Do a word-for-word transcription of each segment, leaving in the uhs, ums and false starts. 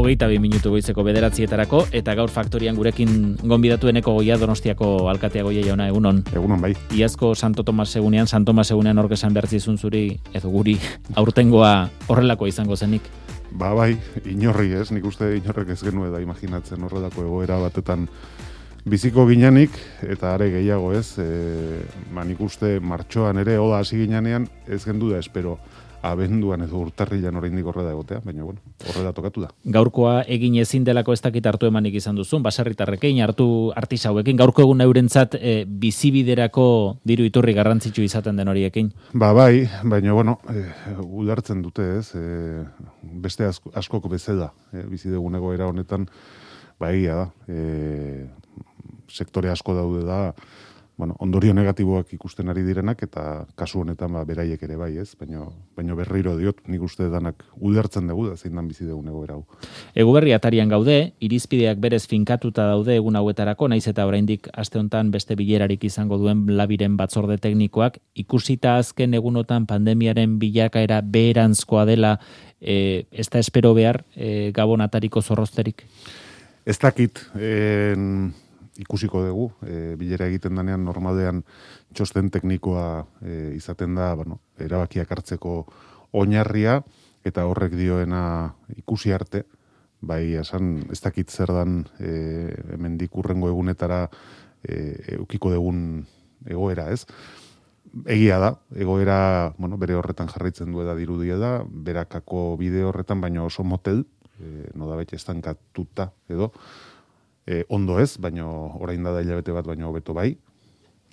hogeita bi minutu goizeko bederatzietarako, eta gaur faktorian gurekin gonbidatu eneko goia Donostiako alkatea Goia jauna, egunon. Egunon, bai. Iazko Santo Tomas egunean, San Tomas egunean orke esan behar zizun zuri, edo guri, aurtengoa horrelako izango zenik. Ba, bai, inorri ez, nik uste inorrek ez genue da imaginatzen horrelako egoera batetan biziko ginanik, eta are gehiago ez, e, ba, nik uste martxoan ere, oda hasi ginanean, ez gendu da espero abenduan edo urtarrilan oraindik horrela egotea, baina bueno, horrela tokatu da. Gaurkoa egin ezin delako ez dakit hartu emanik izan duzun, baserritarrekin, hartu artisauekin, gaurko egun eurentzat e, bizibiderako diru iturri garrantzitsu izaten den horiekin. Ba bai, baina bueno, e, udartzen dute ez, e, beste asko, askok bezala, e, bizi dugun egoera honetan, ba egia da, e, sektore asko daude da, bueno, ondorio negatiboak ikusten ari direnak, eta kasu honetan ba, beraiek ere bai, ez? Baina, baina berriro diot, nik uste danak ulertzen dugu da, zein dan bizi dugun egoera hau. Eguberri atarian gaude, irizpideak berez finkatuta daude egun hauetarako, naiz eta oraindik aste hontan beste bilerarik izango duen labiren batzorde teknikoak, ikusita azken egunotan pandemiaren bilakaera beheranzkoa dela, e, ez da espero behar e, Gabon atariko zorrozterik? Ez dakit, en... ikusiko dugu, e, bilera egiten danean normalean txosten teknikoa e, izaten da, bueno, erabakiak hartzeko oinarria, eta horrek dioena ikusi arte, bai esan ez dakit zer dan e, hemendik hurrengo egunetara e, eukiko dugun egoera, ez? Egia da, egoera, bueno, bere horretan jarraitzen du da dirudia da, berakako bide horretan, baina oso motel, e, no da bete estankatuta edo, E, ondo ez, baino orain da da hilabete bat baino hobeto bai,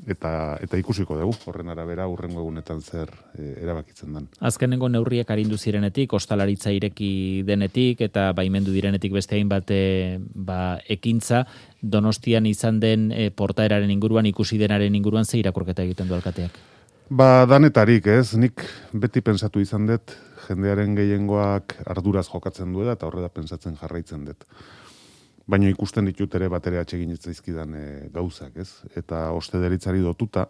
eta eta ikusiko dugu, horren arabera urrengo egunetan zer e, erabakitzen den. Azkenengo neurriak arindu zirenetik, ostalaritza ireki denetik, eta baimendu direnetik beste hainbat e, ba, ekintza, Donostian izan den e, portaeraren inguruan, ikusi denaren inguruan, ze irakurketa egiten du alkateak? Ba, danetarik ez, nik beti pensatu izan dut, jendearen gehiengoak arduraz jokatzen duela, eta horrela pentsatzen jarraitzen dut. Baina ikusten ditut ere bat ere atsegin zaizkidan e, gauzak, ez? Eta ostederitzari dotuta,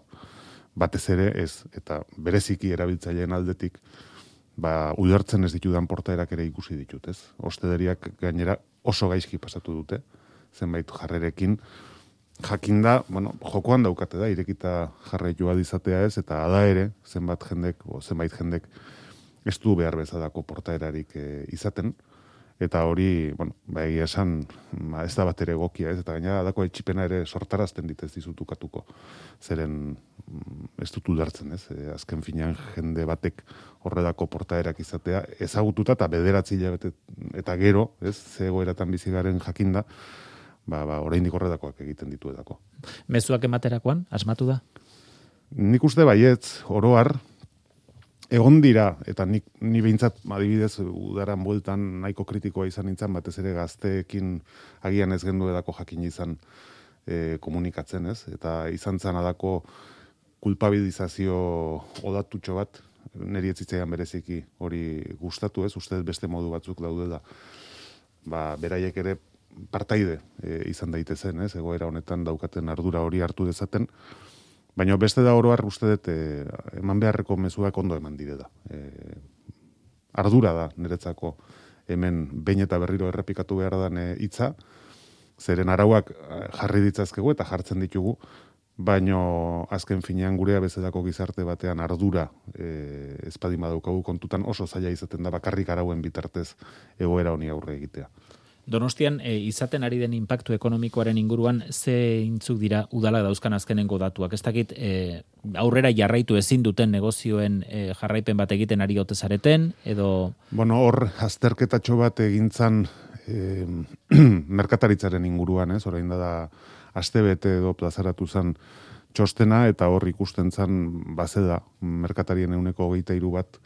batez ere ez, eta bereziki erabiltzaileen aldetik, ba, ulertzen ez ditudan portaerak ere ikusi ditut, ez? Ostederiak gainera oso gaizki pasatu dute, zenbait jarrerekin, jakinda, bueno, jokoan daukate da, irekita jarraitua izatea ez, eta ada ere, zenbat jendek, o zenbait jendek, ez du behar bezalako portaerarik e, izaten, eta hori, bueno, ba egia esan, ba, ez da bat ere egokia, ez, eta gaina dako etxipena ere sortarazten dit ez dizutukatuko, zeren ez dut udartzen, ez, e, azken finean jende batek horredako portaerak izatea, ezagututa eta bederatzi hilabete eta gero, ez, ze egoeratan bizi garen jakinda, ba, ba, oraindik horredakoak egiten ditu edako. Mezuak ematerakoan, asmatu da? Nik uste baietz, oro har, egon dira, eta nik, ni behintzat, adibidez, udaran bueltan nahiko kritikoa izan nintzen, batez ere gazteekin agian ez gendu edako jakin izan e, komunikatzen, ez? Eta izan zan adako kulpabilizazio odatutxo bat, niri etzitzaian bereziki hori gustatu, ez? Uste beste modu batzuk daudela, ba, beraiek ere partaide e, izan daitezen, ez? Egoera honetan daukaten ardura hori hartu dezaten, baina beste da oro har uste dut eh, eman beharreko mezuak ondo eman direla. Eh, ardura da niretzako hemen behin eta berriro errepikatu behar dan hitza, zeren arauak jarri ditzazkegu eta jartzen ditugu, baina azken finean gurea bezalako gizarte batean ardura eh, ezpadin badaukagu kontutan oso zaila izaten da bakarrik arauen bitartez egoera honi aurre egitea. Donostian e, izaten ari den inpaktu ekonomikoaren inguruan zeintzuk dira udala dauzkan azkenengo datuak. Ez dakit e, aurrera jarraitu ezin duten negozioen e, jarraipen bat egiten ari ote zareten, edo... Bueno, hor azterketatxo bat egintzan e, merkataritzaren inguruan, ez? Orain da da astebete edo plazaratu zen txostena, eta hor ikusten zen bazeda merkatarien euneko hogeita hiru bat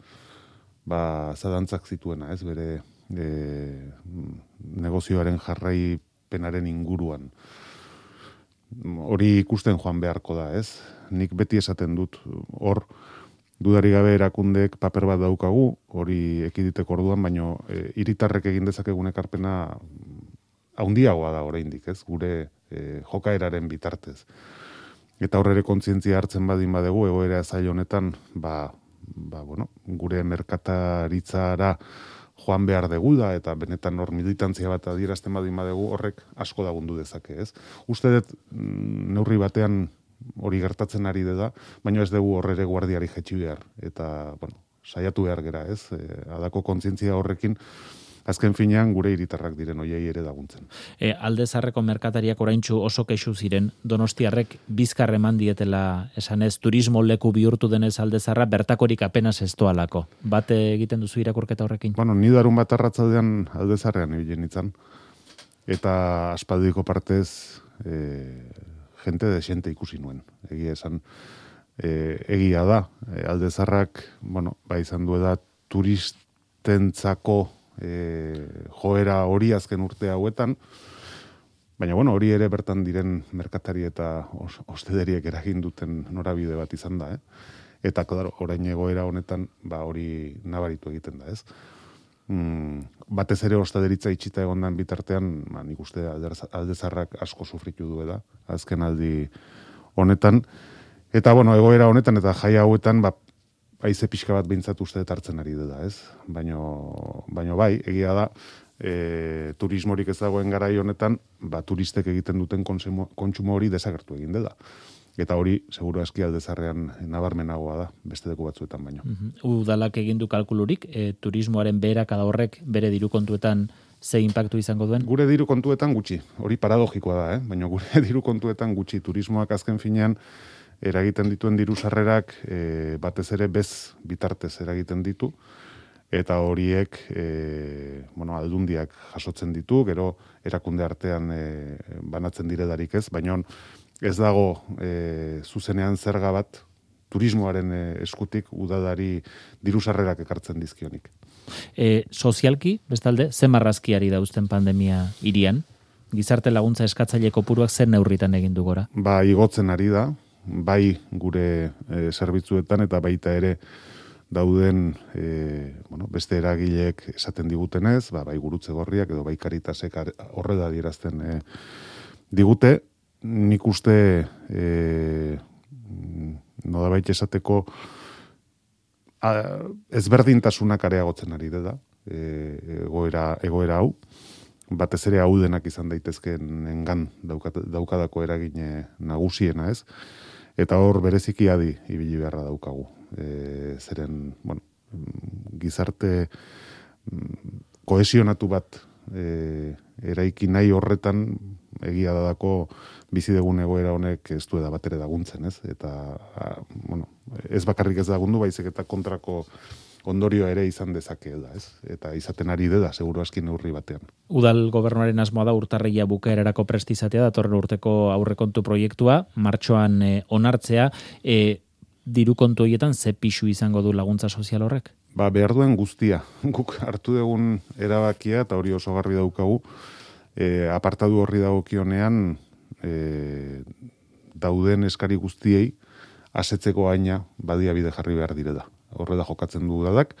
ba, zadantzak zituena, ez? Bere... E, negozioaren jarraipenaren inguruan. Hori ikusten joan beharko da, ez? Nik beti esaten dut, hor dudari gabe erakundeek paper bat daukagu, hori ekiditeko orduan, baino e, hiritarrek egin dezakegun ekarpena haundiagoa da oraindik, ez? Gure e, jokaeraren bitartez. Eta horre kontzientzia hartzen badin badegu, egoera zail honetan, ba, ba, bueno, gure merkataritzara joan behar dugu da, eta benetan hor militantzia bat adierazten badin badegu horrek asko lagundu dezake, ez? Uste dut neurri batean hori gertatzen ari da, baina ez dugu horrere guardiari jetxi behar, eta, bueno, saiatu behar gera, ez? E, adako kontzientzia horrekin, azken finean gure hiritarrak diren hoiei ere laguntzen. E, Alde Zaharreko merkatariak oraintsu oso kexu ziren, Donostiarrek bizkar eman dietela, esanez, turismo leku bihurtu denez Alde Zaharra, bertakorik apenas ez doalako. Bat egiten duzu irakurketa horrekin? Bueno, ni darun bat arratzaldean Alde Zaharrean ibilen itzan, eta aspaldiko partez e, jente desente ikusi nuen. Egia esan, e, egia da, e, Alde Zaharrak, bueno, ba izan du da turistentzako E, joera hori azken urte hauetan, baina bueno, hori ere bertan diren merkatari eta os, ostederiek eragin duten norabide bat izan da, eh? Eta claro, orain egoera honetan ba hori nabaritu egiten da, ez? Mm, batez ere ostederitza itxita egondan bitartean, ba, nik uste Alde Zaharrak asko sufritu du da, azken aldi honetan, eta bueno, egoera honetan eta jai hauetan, ba haize pixka bat behintzat uste hartzen ari da, ez? Baino, baino bai, egia da, e, turismorik ez dagoen garai honetan, ba, turistek egiten duten kontsumo, kontsumo hori desagertu egin dela. Eta hori, seguru aski Alde Zaharrean nabarmenagoa da, beste leku batzuetan baino. Uh-huh. Udalak egin du kalkulurik, e, turismoaren beherakada horrek bere diru kontuetan ze inpaktu izango duen? Gure diru kontuetan gutxi, hori paradogikoa da, eh? Baina gure diru kontuetan gutxi, turismoak azken finean, eragiten dituen diru sarrerak e, batez ere bez bitartez eragiten ditu, eta horiek e, bueno, aldundiak jasotzen ditu, gero erakunde artean e, banatzen diredarik ez, baina ez dago e, zuzenean zerga bat turismoaren e, eskutik udadari diru sarrerak ekartzen dizkionik. E, sozialki, bestalde, ze marrazkiari dauzten pandemia hirian? Gizarte laguntza eskatzaile kopuruak zer neurritan egin du gora? Ba, igotzen ari da, bai gure e, zerbitzuetan eta baita ere dauden e, bueno, beste eragileek esaten digutenez, ba, bai Gurutze Gorriak edo bai Caritasek horrela adierazten e, digute, nik uste e, nolabait esateko a, ezberdintasunak areagotzen ari da e, egoera, egoera hau, batez ere hau denak izan daitezkeen engan daukadako eragine nagusiena, ez? Eta hor bereziki adi ibili beharra daukagu. E, zeren, bueno, gizarte kohesionatu bat e, eraiki nahi horretan egia dadako bizi dugun egoera honek ez du da batere laguntzen, ez? Eta, a, bueno, ez bakarrik ez lagundu, baizik eta kontrako ondorioa ere izan dezake da, ez? Eta izaten ari da, seguru aski neurri batean. Udal gobernuaren asmoa da urtarrila bukaerarako prest izatea, datorren urteko aurrekontu proiektua, martxoan e, onartzea, e, diru kontu horietan ze pixu izango du laguntza sozial horrek? Ba, behar duen guztia. Guk hartu dugun erabakia, eta hori oso garbi daukagu, e, apartadu horri dagokionean e, dauden eskari guztiei asetzeko aina badiabide jarri behar direla. Horrela jokatzen du udadak,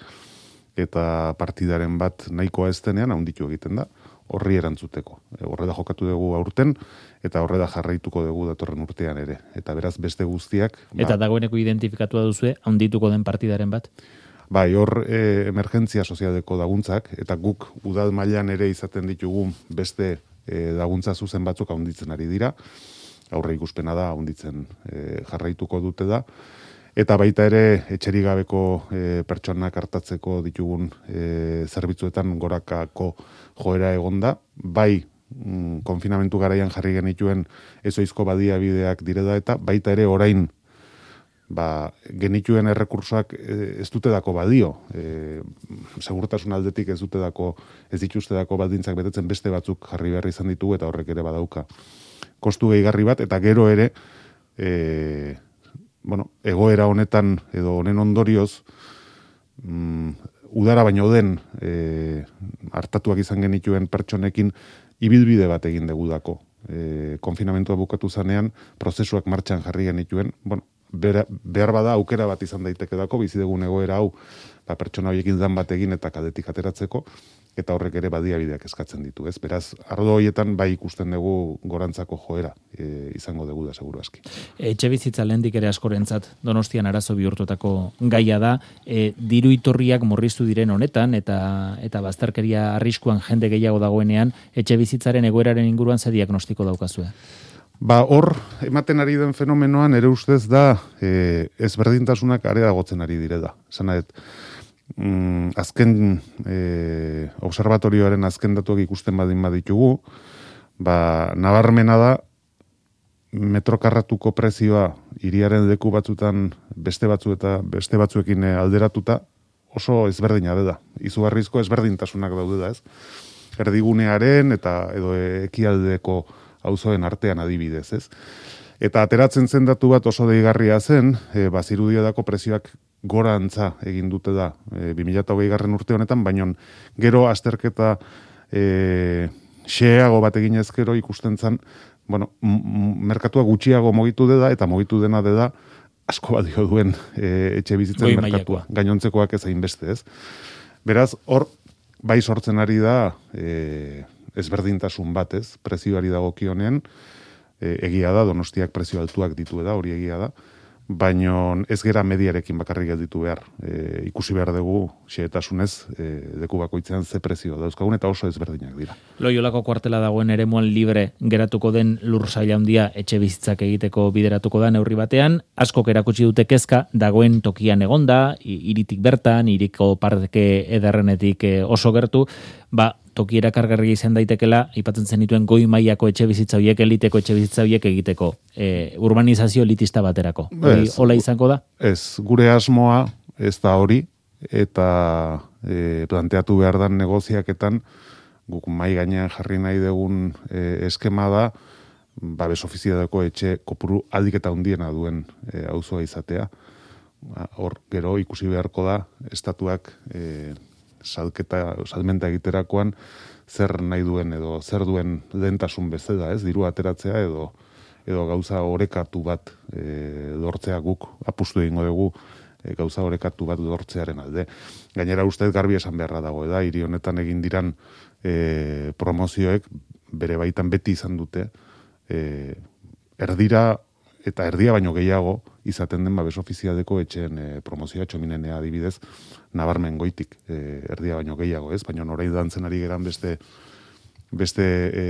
eta partidaren bat nahikoa ez denean handitu egiten da, horri erantzuteko. Horrela jokatu dugu aurten, eta horrela jarraituko dugu datorren urtean ere. Eta beraz beste guztiak... Eta ba, dagoeneko identifikatu duzue, handituko den partidaren bat? Bai, hor e, emergentzia sozialeko laguntzak, eta guk udal mailan ere izaten ditugu beste e, laguntza zuzen batzuk handitzen ari dira, aurre ikuspena da handitzen e, jarraituko dute da, eta baita ere etxerik gabeko e, pertsonak hartatzeko ditugun e, zerbitzuetan gorakako joera egonda, bai mm, konfinamentu garaian jarri genituen ezoizko badiabideak direla eta baita ere orain ba, genituen errekursoak ez dute dako badio. E, segurtasun aldetik ez dute dako, ez dituzte dako baldintzak betetzen beste batzuk jarri behar izan ditugu eta horrek ere badauka kostu gehigarri bat, eta gero ere e, bueno, egoera honetan edo honen ondorioz mm, udara baino den e, hartatuak izan genituen pertsonekin ibilbide bat egin degudako. E, konfinamentua bukatu zanean, prozesuak martxan jarri genituen, bueno, behar bada aukera bat izan daiteke dako, bizi dugun egoera hau, ba, pertsona horiekin dan bat egin eta kadetik ateratzeko, eta horrek ere badiabideak eskatzen ditu, ez? Beraz, ardo horietan bai ikusten dugu gorantzako joera e, izango dugu da, seguru aski. Etxe bizitza lehendik ere askorentzat Donostian arazo bihurtutako gaia da, e, diru iturriak murriztu diren honetan, eta eta bazterkeria arriskuan jende gehiago dagoenean, etxe bizitzaren egoeraren inguruan ze diagnostiko daukazue? Ba, hor, ematen ari den fenomenoan, ere ustez da, e, ezberdintasunak areagotzen ari dire da. Zanaet, mm, azken e, observatorioaren azken datuak ikusten badin baditugu, ba, nabarmena da, metrokarratuko prezioa hiriaren leku batzutan beste batzu eta beste batzuekin alderatuta oso ezberdina da. Izugarrizko ezberdintasunak daude da, ez? Erdigunearen eta edo ekialdeko auzoen artean adibidez, ez? Eta ateratzen zen datu bat oso deigarria zen, e, bazirudiadako prezioak gorantza egin dute da e, bi mila hogei garren urte honetan, baino gero azterketa e, xeago bat egin ezkero ikusten zen, bueno, merkatua gutxiago mogitu deda, eta mogitu dena deda asko badio duen e, etxe bizitzen Goi merkatua. mailakoa. Gainontzekoak ez hainbeste, ez? Beraz, hor, bai sortzen ari da e, ezberdintasun bat, ez? Prezioari dagokionean, e, egia da, Donostiak prezio altuak ditu da, hori egia da, baino ez gera mediarekin bakarrik gelditu behar. E, ikusi behar dugu, xehetasunez, e, leku bakoitzean ze prezio dauzkagun, eta oso ezberdinak dira. Loiolako kuartela dagoen eremuan libre geratuko den lur sail handia etxe bizitzak egiteko bideratuko da neurri batean, askok erakutsi dute kezka dagoen tokian egonda, hiritik bertan, hiriko parke ederrenetik oso gertu, ba, toki erakargarri izan daitekela, aipatzen zenituen goi mailako etxe bizitza horiek, eliteko etxe bizitza horiek egiteko, e, urbanizazio elitista baterako. Hori hola izango da? Ez, gure asmoa ez da hori, eta e, planteatu behar dan negoziaketan, guk mai gainean jarri nahi dugun e, eskema da, babes ofizialeko etxe kopuru aldik eta hundiena duen e, auzoa izatea. Hor, gero ikusi beharko da, estatuak e, salketa, salmenta egiterakoan zer nahi duen edo zer duen lehentasun bezala, ez, diru ateratzea edo edo gauza orekatu bat e, lortzea guk apustu egingo dugu e, gauza orekatu bat lortzearen alde. Gainera ustez garbi esan beharra dago, da, hiri honetan egin diran e, promozioek bere baitan beti izan dute e, erdira eta erdia baino gehiago izaten den babes ofizialeko etxeen e, promozioa txominenea adibidez nabarmen goitik e, erdia baino gehiago, ez? Baina orain dantzen ari geran beste beste e,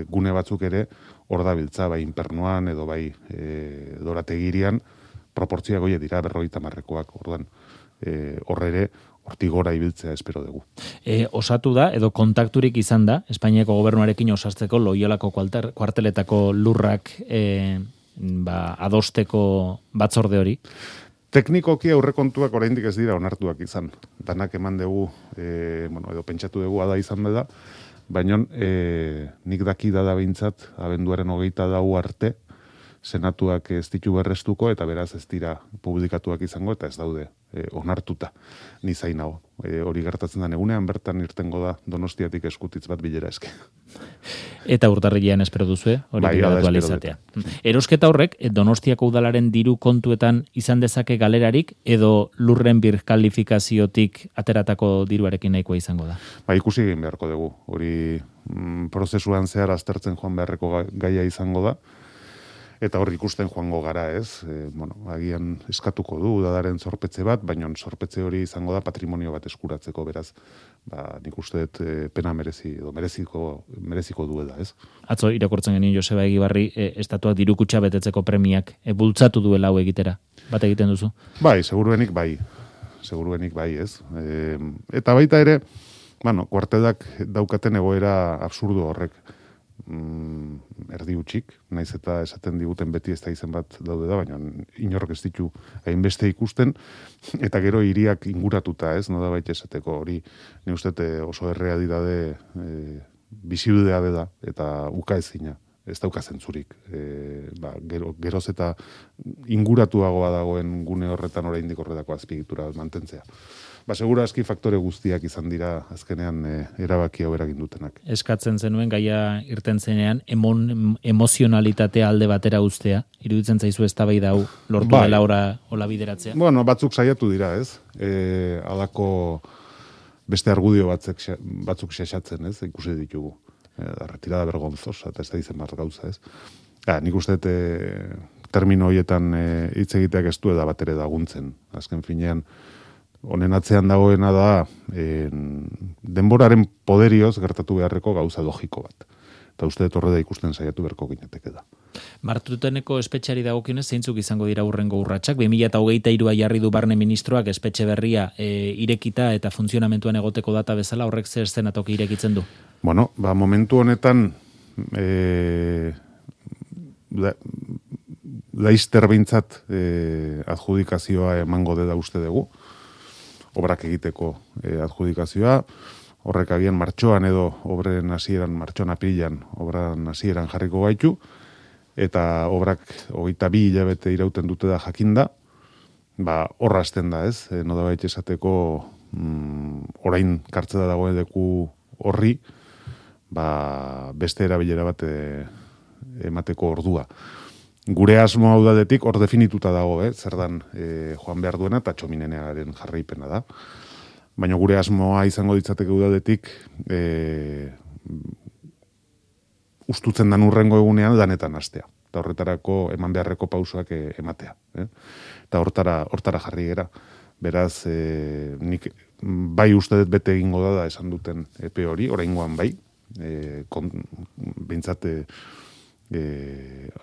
gune batzuk ere hor dabiltza, bai inpernuan edo bai e, dorategirian proportzioa goie dira berrogeita hamarrekoak, orduan e, horre ere hortik gora ibiltzea espero dugu. E, osatu da, edo kontakturik izan da, Espainiako gobernuarekin osartzeko Loiolako kuarteletako lurrak e, ba, adosteko batzorde hori? Teknikoki aurrekontuak oraindik ez dira onartuak izan. Danak eman dugu, e, bueno, edo pentsatu dugu ada izan da, baina e, nik daki da behintzat, abenduaren hogeita dau arte, senatuak ez ditu berrestuko, eta beraz ez dira publikatuak izango, eta ez daude e, onartuta. Ni zain hau. E, hori gertatzen da egunean, bertan irtengo da Donostiatik eskutitz bat bilera eske. Eta urtarrilean espero duzue, hori bai, bidatu izatea. Erosketa horrek, Donostiako udalaren diru kontuetan izan dezake galerarik, edo lurren birkalifikaziotik ateratako diruarekin nahikoa izango da? Ba, ikusi egin beharko dugu. Hori mm, prozesuan zehar aztertzen joan beharreko gaia izango da, eta hor ikusten joango gara, ez? E, bueno, agian eskatuko du udadaren zorpetze bat, baina zorpetze hori izango da patrimonio bat eskuratzeko, beraz, ba, nik uste dut e, pena merezi, edo mereziko, mereziko duela, ez? Atzo irakurtzen genien Joseba Egibarri, e, estatuak dirukutxa betetzeko premiak e, bultzatu duela hau egitera. Bat egiten duzu? Bai, seguruenik bai. Seguruenik bai, ez? E, eta baita ere, bueno, kuartelak daukaten egoera absurdo horrek. Mm, erdi utxik, naiz eta esaten diguten beti ez da izen bat daude da, baina inork ez ditu hainbeste ikusten, eta gero hiriak inguratuta, ez, no da baita esateko hori, ni uste oso errealidade e, bizibidea da, eta uka ezina, ez dauka zentzurik. E, ba, gero, geroz eta inguratuagoa dagoen gune horretan oraindik horretako azpiegitura mantentzea. ba, segura aski faktore guztiak izan dira azkenean e, erabaki hau eragin dutenak. Eskatzen zenuen gaia irten zenean emon, emozionalitatea alde batera uztea, iruditzen zaizu eztabaida hau lortu bai. Dela ora hola bideratzea. Bueno, batzuk saiatu dira, ez? E, alako beste argudio batzuk batzuk xaxatzen, ez? Ikusi ditugu. E, retirada vergonzosa eta ez da izen bat gauza, ez? Ja, nik uste dut termino horietan hitz e, egiteak ez du da bat ere daguntzen. Azken finean, honen atzean dagoena da en, denboraren poderioz gertatu beharreko gauza logiko bat. Eta uste dut horre da ikusten saiatu berko gineteke da. Martuteneko espetxeari dagokionez zeintzuk izango dira hurrengo urratsak? bi mila hogeita hirua jarri du barne ministroak espetxe berria e, irekita eta funtzionamentuan egoteko data bezala, horrek zer eszenatoki irekitzen du? Bueno, ba, momentu honetan e, la, laizter behintzat e, adjudikazioa emango dela uste dugu, obrak egiteko e, adjudikazioa, horrek agian martxoan edo obren hasieran martxoan apilan obran hasieran jarriko gaitu, eta obrak hogeita bi hilabete irauten dute da jakinda, ba, horra hasten da, ez? E, noda baita esateko mm, orain kartzeda dagoen leku horri, ba, beste erabilera bat e, emateko ordua. Gure asmo hau dadetik hor definituta dago, eh? Zer dan e, joan behar duena eta txominenearen jarraipena da. Baina gure asmoa izango ditzateke udadetik e, ustutzen dan urrengo egunean lanetan hastea. Eta horretarako eman beharreko pausoak e, ematea. Eh? Eta hortara, hortara jarri gera. Beraz, e, nik bai uste dut bete egingo da da esan duten epe hori, oraingoan bai, e, kon, bintzate e,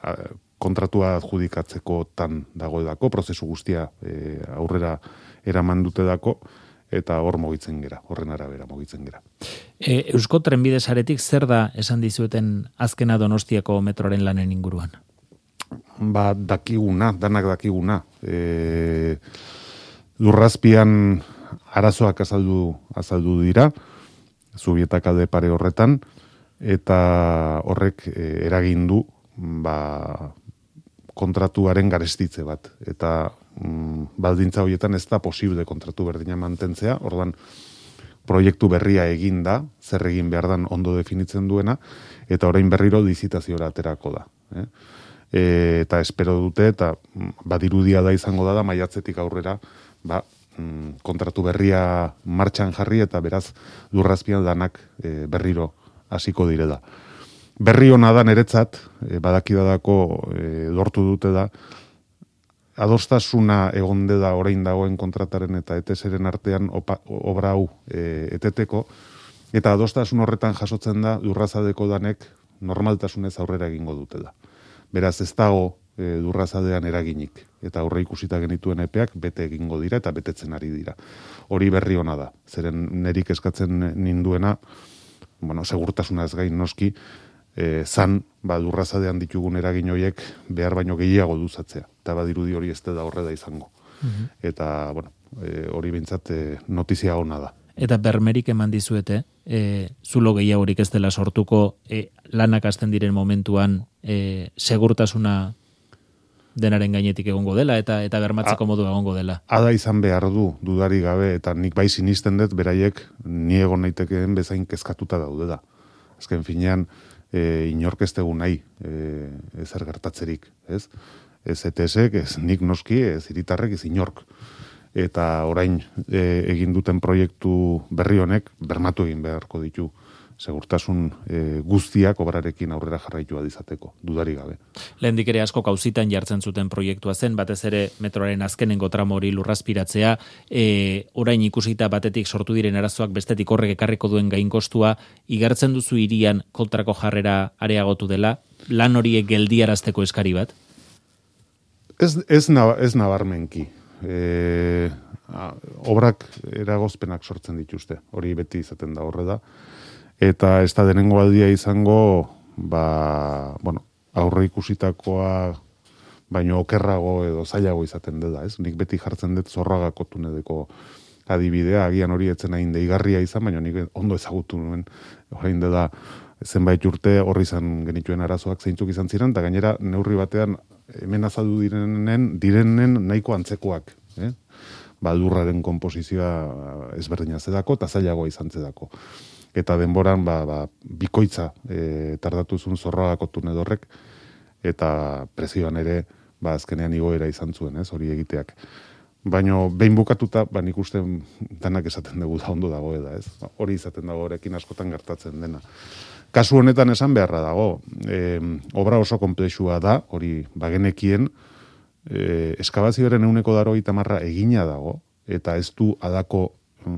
a, kontratua adjudikatzeko tan dagoedako, prozesu guztia e, aurrera eraman dute dako, eta hor mugitzen gera, horren arabera mugitzen gera. E, Eusko Trenbide Saretik zer da esan dizueten azkena Donostiako metroaren lanen inguruan? Ba, dakiguna, danak dakiguna. E, lurrazpian arazoak azaldu, azaldu dira, Zubietaka de pare horretan, eta horrek e, eragin du ba, kontratuaren garestitze bat. Eta mm, baldintza horietan ez da posible kontratu berdina mantentzea, ordan proiektu berria egin da, zer egin behar dan ondo definitzen duena, eta orain berriro lizitaziora aterako da. Eh? E, eta espero dute, eta badirudia da izango da, da maiatzetik aurrera, ba, mm, kontratu berria martxan jarri, eta beraz lurrazpian danak e, berriro hasiko direla. Berri hona da niretzat, e, badakidadako e, lortu dute da, adostasuna egonde da orain dagoen kontrataren eta eteseren artean opa, obra hau e, eteteko, eta adostasun horretan jasotzen da lurrazadeko danek normaltasunez aurrera egingo dute da. Beraz ez dago e, lurrazadean eraginik, eta aurre ikusita genituen epeak bete egingo dira eta betetzen ari dira. Hori berri hona da, zeren nerik eskatzen ninduena, bueno, segurtasuna ez gain noski, E, zan, ba, lurrazadean ditugun eragin horiek behar baino gehiago duzatzea. Eta badirudi hori ez da horre da izango. Mm-hmm. Eta, bueno, e, hori bintzat e, notizia ona da. Eta bermerik eman dizuete, e, zulo gehiagorik ez dela sortuko e, lanak hasten diren momentuan e, segurtasuna denaren gainetik egongo dela eta eta bermatzeko modu egongo dela. Ada izan behar du, dudari gabe, eta nik bai sinisten dut beraiek ni egon naitekeen bezain kezkatuta daude da. Azken finean, E, inork ez dugu nahi e, ezer gertatzerik, ez? Ez E T S-ek, ez nik noski, ez hiritarrek, ez inork. Eta orain e, egin duten proiektu berri honek bermatu egin beharko ditu segurtasun e, guztiak obrarekin aurrera jarraitua dizateko, dudari gabe. Lehendik ere asko kauzitan jartzen zuten proiektua zen, batez ere metroaren azkenengo tramo hori lurrazpiratzea, e, orain ikusita batetik sortu diren arazoak bestetik horrek ekarriko duen gainkostua, igartzen duzu hirian kontrako jarrera areagotu dela, lan horiek geldiarazteko eskari bat? Ez, ez, nab, ez nabarmenki. E, a, obrak eragozpenak sortzen dituzte, hori beti izaten da horre da. Eta ez da denengo aldia izango, ba, bueno, aurre ikusitakoa baino okerrago edo zailago izaten dela, ez? Nik beti jartzen dut Zorragako tuneleko adibidea, agian hori etzen hain deigarria izan, baina nik ondo ezagutu nuen, orain dela zenbait urte horri izan genituen arazoak zeintzuk izan ziren, eta gainera neurri batean hemen azaldu direnen, direnen nahiko antzekoak, eh? ba, lurraren komposizioa ezberdina zedako, eta zailagoa izan zedako. Eta denboran, ba, ba, bikoitza e, tardatuzun zorragako tunedorrek, eta prezioan ere, ba, azkenean igoera izan zuen, ez, hori egiteak. Baina behin bukatuta, ba, nik uste danak esaten dugu da ondo dago eda, ez? Hori izaten dago horrekin askotan gertatzen dena. Kasu honetan esan beharra dago, e, obra oso komplexua da, hori bagenekien, e, eskabazioaren euneko daro itamarra egina dago, eta ez du adako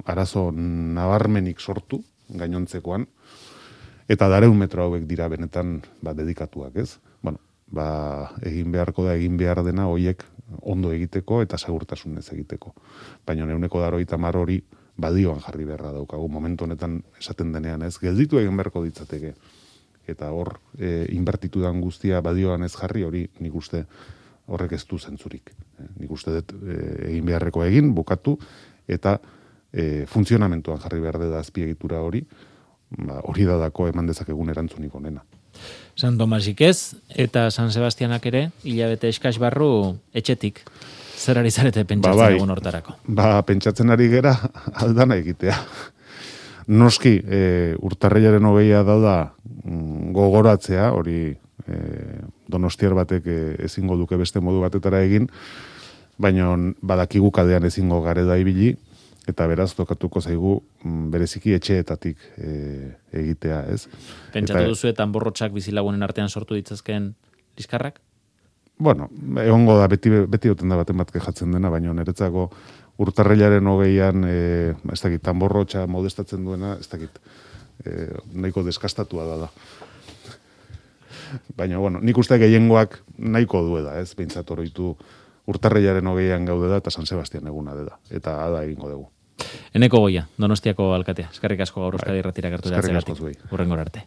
arazo nabarmenik sortu, gainontzekoan, eta dareun metro hauek dira benetan ba, dedikatuak, ez? Bueno, ba, egin beharko da, egin behar dena hoiek ondo egiteko eta segurtasunez egiteko. Baina neuneko daro itamar hori badioan jarri beharra daukagu, momentu honetan esaten denean, ez? Gelditu egin beharko ditzateke. Eta hor, e, inbertitudan guztia badioan ez jarri, hori nik uste horrek ez du zentzurik. E, nik uste dut e, egin beharreko egin, bukatu, eta e, funtzionamentuan jarri behar da azpiegitura hori, ba, hori da dako eman dezakegun erantzunik onena. San Tomasik ez, eta San Sebastianak ere, hilabete eskas barru etxetik. Zer ari zarete pentsatzen ba, bai. egun hortarako? Ba, pentsatzen ari gera aldana egitea. Noski, e, urtarrilaren hogeia da gogoratzea, hori e, donostiar batek e, ezingo duke beste modu batetara egin, baina badakigu kadean ezingo gareda ibili, eta beraz tokatuko zaigu bereziki etxeetatik e, egitea, ez? Pentsatu eta, duzu eta borrotxak bizilagunen artean sortu ditzazken liskarrak? Bueno, egongo da, beti, beti oten da baten bat kejatzen dena, baina niretzako urtarrilaren hogeian, e, ez dakit, tanborrotxa modestatzen duena, ez dakit, e, nahiko deskastatua da da. Baina, bueno, nik uste gehiengoak nahiko dueda, ez? Behintzat oroitu urtarrilaren hogeian gaude da, eta San Sebastian eguna da, eta ada egingo dugu. Eneko Goia, Donostiako alkatea. Eskerrik asko gaur Euskadi Irratira gertu Eskerrik asko zuei. Hurrengora arte.